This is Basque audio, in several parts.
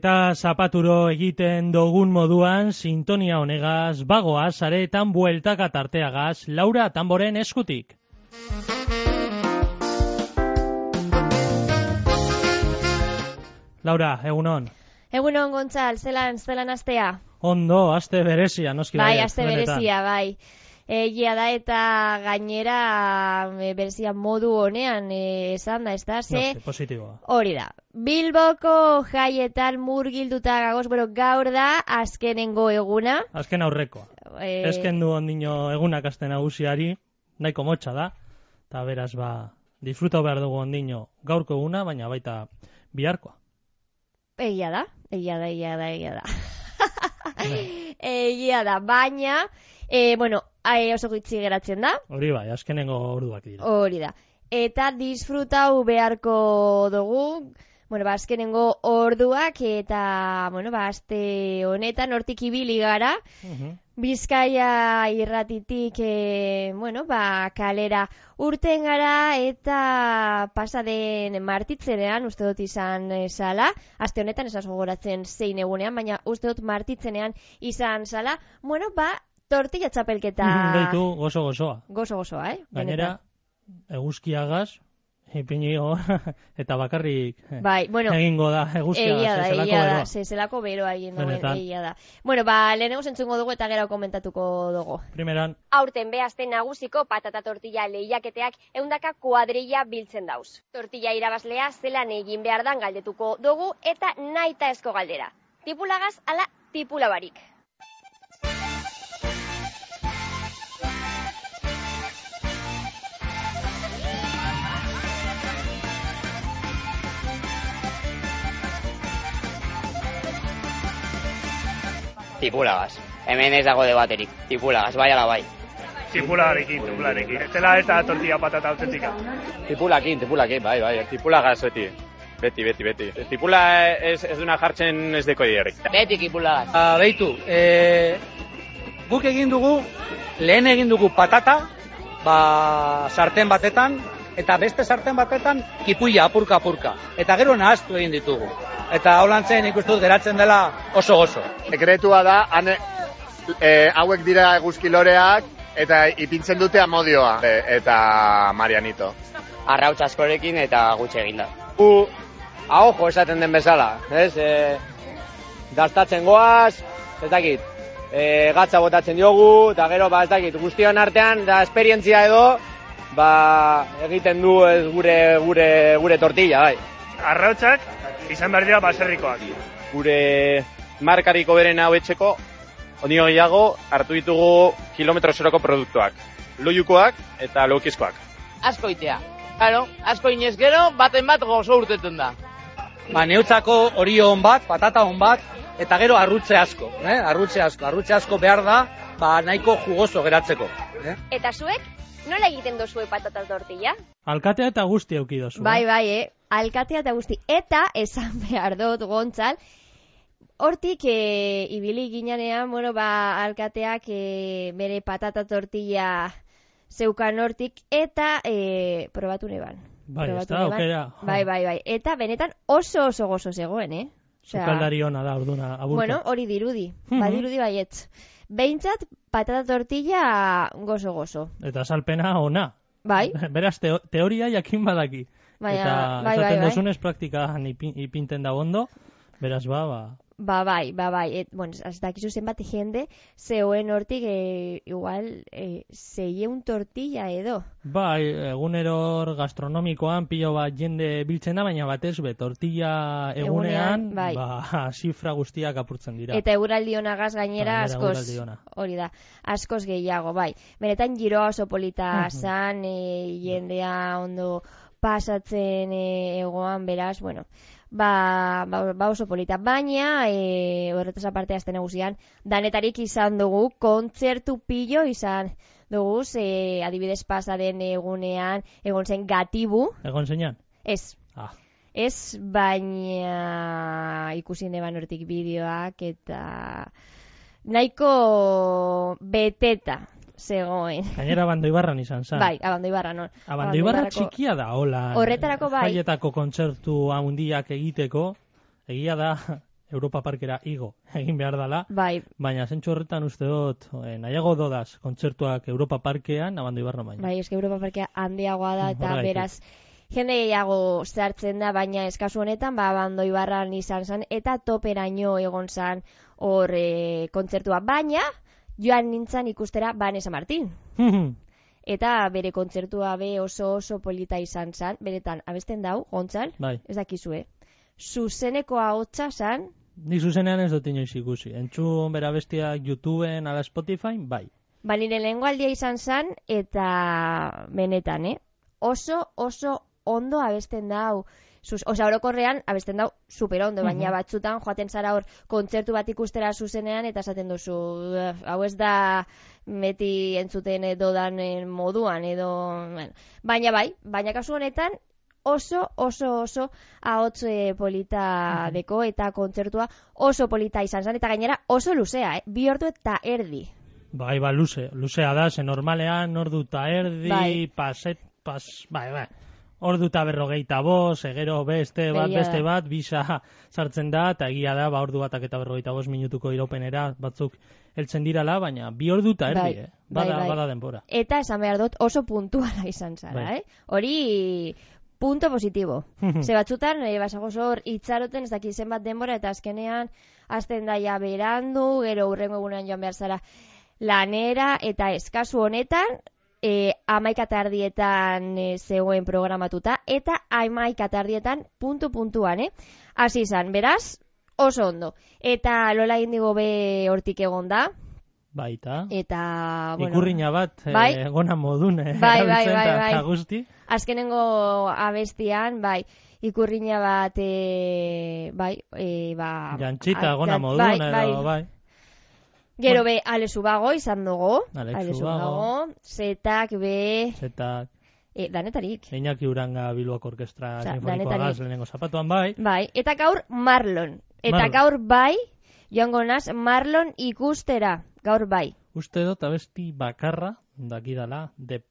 eta zapaturo egiten dogun moduan sintonia honegaz, bagoaz, areetan bueltaka tarteagaz, Laura Tamboren eskutik. Laura, egunon. Egunon, Gontzal, zelan astea? Ondo, aste berezia, noski bai. Bai, aste berezia, bai. Egia da eta gainera berezia modu honean esan da, ez da? Positiboa. Hori da. Bilboko jaietan murgilduta gagoz, gaur da azkenengo eguna. Azken aurrekoa. Eskendu ondino egunak aste nagusiari, nahiko motxa da, eta beraz disfruta behar dugu ondino gaurko eguna, baina baita biharkoa. Egia da. Egia da, baina, oso gutxi geratzen da. Hori bai, azkenengo orduak dira. Hori da. Eta disfrutau beharko dugu, azkenengo orduak eta, aste honetan hortik ibili gara. Bizkaia irratitik, kalera urten gara eta pasaden martitzenean, uste dut izan zala, aste honetan esaz gogoratzen zein egunean, baina uste dut martitzenean izan zala, tortilla txapelketa... Deitu gozo-gozoa. Gozo-gozoa, Gainera, eguzkiagaz, ipinio, eta bakarrik egingo da eguzkiagaz, zelako beroa egin duen, egia da. Lehenengo zentzungo dugu eta gero komentatuko dugu. Primeran. Aurten behazten nagusiko patata tortilla lehiaketeak 100 kuadrilla biltzen dauz. Tortilla irabazlea zelan egin behar dan galdetuko dugu eta naita esko galdera. Tipulagaz ala tipulabarik. Tipulagaz. Hemen ez dago debaterik. Tipulagaz, bai ala bai. Tipulagarekin. Estela eta tortilla patata autentika. Tipulakin, bai. Tipulagaz beti. Tipula ez duna jartzen ez deko dierrik. Beti tipulagaz. Beitu, guk lehen egin dugu patata, sarten batetan, eta beste sarten batetan kipuia apurka. Eta gero nahaztu egin ditugu. Eta holantzen ikustut geratzen dela oso gozo. Sekretua da, hauek dira eguzkiloreak eta ipintzen dute amodioa eta Marianito. Arrautz askorekin eta gutxe eginda. Ahojo esaten den bezala, ez? Dastatzen goaz, ez dakit, gatza botatzen diogu, eta gero, ez dakit, guztion artean, da esperientzia edo, egiten du gure tortilla, bai. Arrautzak izan behar dira baserrikoak. Gure markariko beren hau etxeko, ondio gehiago hartu ditugu kilometro zeroko produktuak. Loiukoak eta lokizkoak. Asko itea. Claro, asko inez gero, baten bat gozo urteten da. Neutzako hori hon bat, patata hon bat, eta gero arrutze asko. Arrutze asko behar da, nahiko jugoso geratzeko. Eta zuek, nola egiten dozue patata tortilla? Alkatea eta guzti euki dozu. Bai, alkatea eta guzti. Eta, esan behar dut, Gontzal, hortik ibili ginean, alkateak bere patata tortilla zeukan hortik, eta probatu neban. Bai, ez da, aukera. Bai. Eta benetan oso gozo zegoen, Zukaldari hona da, orduna, aburka. Hori dirudi. Badirudi baietz. Behintzat, patata tortilla gozo. Eta salpena ona. Bai. Beraz, teoria jakin badaki. Eta esaten duzunez praktikan ipinten da ondo, beraz Bai. Ez dakizu zenbat jende zegoen hortik igual 600 tortilla edo. Bai, egunero gastronomikoan pilo bat jende biltzen da, baina batez tortilla egunean zifra guztiak apurtzen dira. Eta eguraldi honagaz gainera hori da, askoz gehiago, bai. Benetan giroa oso polita zan, jendea ondo pasatzen egoan, beraz, oso polita, baina horretaz aparte azten nagusian danetarik izan dugu, kontzertu pillo izan dugu, adibidez pasaden egunean egon zen Gatibu. Egon zeinan? Ez. Ez, baina ikusi neban hortik bideoak eta nahiko beteta zegoen. Gainera Abandoibarran izan zan. Bai, Abandoibarran. Abandoibarra txikia da, hola. Horretarako bai. Jaietako kontzertu handiak egiteko, egia da, Europa Parkera igo egin behar dela, bai. Baina zentsu horretan uste dut, nahiago dodaz kontzertuak Europa Parkean, Abando Ibarron baina. Bai, eske Europa Parkea handiagoa da, eta beraz, jende gehiago zartzen da, baina eskazu honetan, Abando Ibarran izan zen, eta toperaino egon zen hor kontzertua. Baina, joan nintzen ikustera Vanessa Martin. Eta bere kontzertua be oso polita izan zen, beretan abesten dau, Gontzal, bai. Ez dakizue. Zuzeneko ahotsa zen. Ni zuzenean ez dut inoiz ikusi. Entzun bera bestiak YouTubeen, ala Spotify, bai. Ba, nire lehengo aldia izan zen, eta benetan, Oso ondo abesten dau. Osa, orokorrean abesten dau super ondo, baina batzutan joaten zara hor kontzertu bat ikustera zuzenean, eta esaten duzu, hau ez da beti entzuten dodan moduan, edo... Bueno. Baina kasu honetan, oso ahots polita deko, eta kontzertua oso polita izan zen, eta gainera oso luzea, 2 ordu eta erdi. Bai, luzea da, ze normalean ordu eta erdi, bai. Ordu eta 45, gero beste bat, bisa sartzen da, eta egia da, ordu batak eta 45 minutuko iraupenera batzuk heltzen dirala, baina 2 ordu eta erdi, bada denbora. Eta esan behar dut oso puntuala izan zara, Hori... Punto positibo. Ze batzutan, basagoz hor, itxaroten, ez daki zenbat denbora, eta azkenean, azten daia berandu, gero hurrengo egunean joan behar zara lanera, eta eskazu honetan, 11:00 zegoen programatuta, eta 11:00 puntuan, Hasi izan, beraz, oso ondo. Eta Lola Indigo be hortik egon da. Baita. Eta, bueno... Ikurriña bat, gona modun, Bai. Guzti. Azkenengo abestian, ikurriña bat, Jantxita, gona modun, bai. Gero be, Alexu Bago izan dugu. Alexu Bago. Zetak. Danetarik. Iñaki Uranga Bilboko Orkestra Sinfonikoa gaz lehenengo zapatuan, bai. Bai, eta gaur Marlon. Eta gaur joango naz Marlon ikustera. Gaur bai. Uste dut abesti bakarra, dakidala, de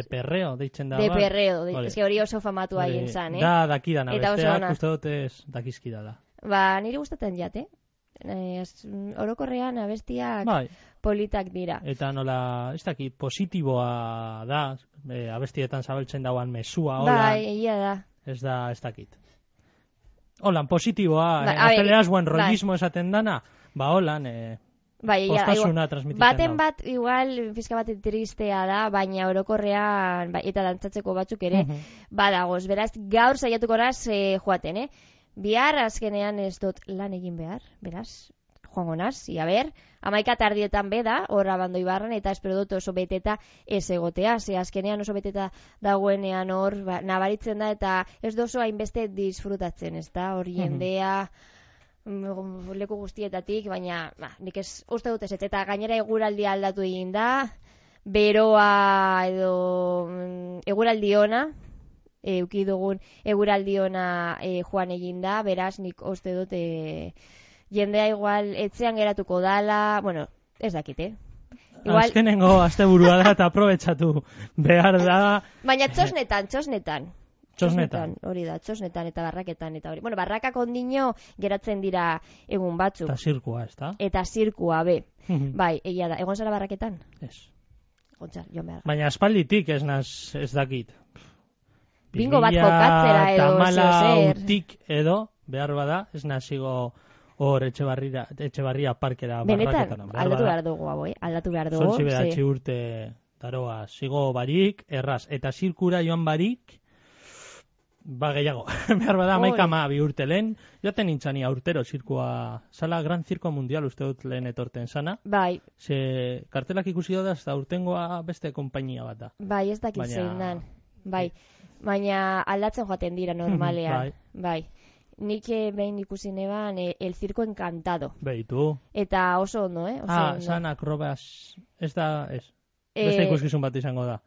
perreo, deitzen da. De perreo, ez hori oso famatu haien zan, Da, dakidan abesteak, uste dut ez dakizkidala. Ba, nire gustatzen jate. Orokorrean abestiak politak dira. Eta nola, ez dakit, positiboa da, abestietan zabaltzen dauan mesua, hola. Bai, egia da. Ez dakit. Holan, positiboa, azeleaz buen rollismo esaten dana, holan, postasuna transmititzen da. Baten bat, igual, pizka bat tristea da, baina orokorrean, eta dantzatzeko batzuk ere, badagoz. Beraz, gaur saiatuko naz joaten, Bihar azkenean ez dut lan egin behar, beraz, joango naz, ia ber, 11:00 beda, hor Abando Ibarran, eta espero dut oso beteta ez egotea, ze azkenean oso beteta dagoenean hor, nabaritzen da, eta ez dozo hainbeste disfrutatzen, ez da, hor jendea, leku guztietatik, baina, nik ez uste dut ez, eta gainera eguraldia aldatu egin da, beroa edo eguraldi ona, euki dugun eguraldi ona joan egin da, beraz nik uste dut jendea igual etxean geratuko dala, bueno, ez dakit, Igual... Azkenengo asteburua da eta aprobetxatu behar da. Baina txosnetan. Hori da, txosnetan eta barraketan eta hori. Bueno, barrakak ondino geratzen dira egun batzuk. Eta zirkua, ez da? Eta zirkua, be. Bai, egia da. Egon zara barraketan? Ez. Gontzal, joan behar. Baina aspalditik ez dakit. Bingo bat jokatzera edo, tamala utik edo, behar bada, ez nazigo hor Etxebarria parkera barraketan. Benetan, aldatu behar dugu, aldatu behar dugu. Zortzi bedatzi urte daroa, zigo barik, erraz, eta zirkura joan barik, gehiago. Behar bada, 11 urte lehen, joaten nintzani urtero zirkua, zala Gran Zirko Mundial uste dut lehen etorten zana. Bai. Ze kartelak ikusi da, eta urtengoa beste konpainia bat da. Bai, ez dakit zein dan. Bai. Baina aldatzen joaten dira normalean. Bai. Nik behin ikusi neban El Circo Encantado. Beitu. Eta oso ondo, Zan akrobaz... Ez da, ez. Beste ikuskizun bat izango da.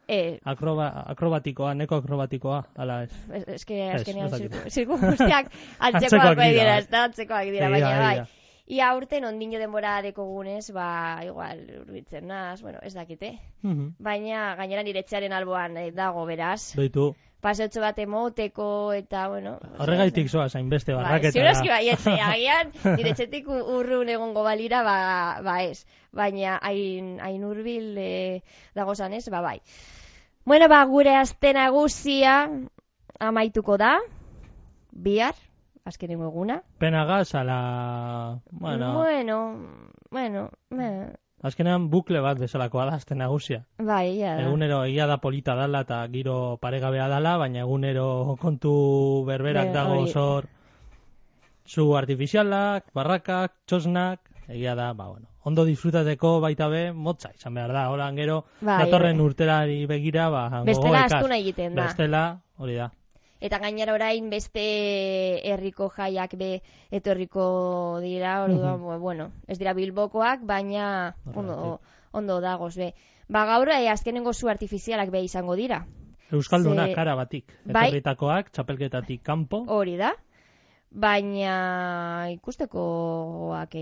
Akrobatikoa, neko akrobatikoa, ala ez. Ez que azkenean zirku guztiak antzekoak dira, ez da antzekoak dira, baina bai. Ia urten ondino denbora dekogunez, igual urbitzen naz, bueno, ez dakite. Baina gainera nire etxearen alboan dago beraz. Beitu. paseotxo bat emoteko, eta, bueno... Horregaitik zoaz, hainbeste barraketara. Ziurazki baietze, agian, nire txetik urrun egongo balira, ba ez. Baina, hain hurbil dagozan ez, ba bai. Bueno, ba, gure aste nagusia amaituko da, bihar, azkenengo eguna. Penagaz, ala... Bueno... Azkenean bukle bat bezalakoa da, aste nagusia. Bai, ia da. Egunero egia da polita dala eta giro paregabea dala, baina egunero kontu berberak dago zor zu artifizialak, barrakak, txosnak, egia da, ba, bueno. Ondo disfrutateko baita be, motza izan behar da. Horan gero, datorren urterari begira, ba, bestela astu nahi egiten da. Bestela, hori da. Eta gainera orain beste herriko jaiak be etorriko dira, orduan, bueno, ez dira Bilbokoak, baina ondo dagoz be. Ba gaur azkenengo zu artifizialak be izango dira. Euskaldunak kara batik, etorritakoak, txapelketatik kanpo. Hori da. Baina ikustekoak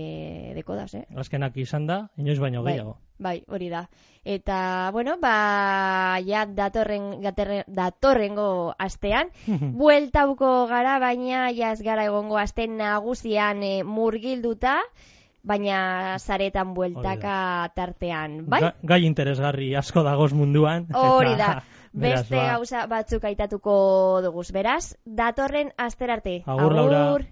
deko daz, Azkenak izan da, inoiz baino gehiago. Bai, hori da. Eta, bueno, ba, ja datorrengo astean, bueltauko gara, baina jaz gara egongo aste nagusian murgilduta, baina zaretan bueltaka tartean, bai? Gai interesgarri asko dagoz munduan. Hori da. Beste gauza batzuk aitatuko duguz, beraz, datorren asterarte. Agur, Laura.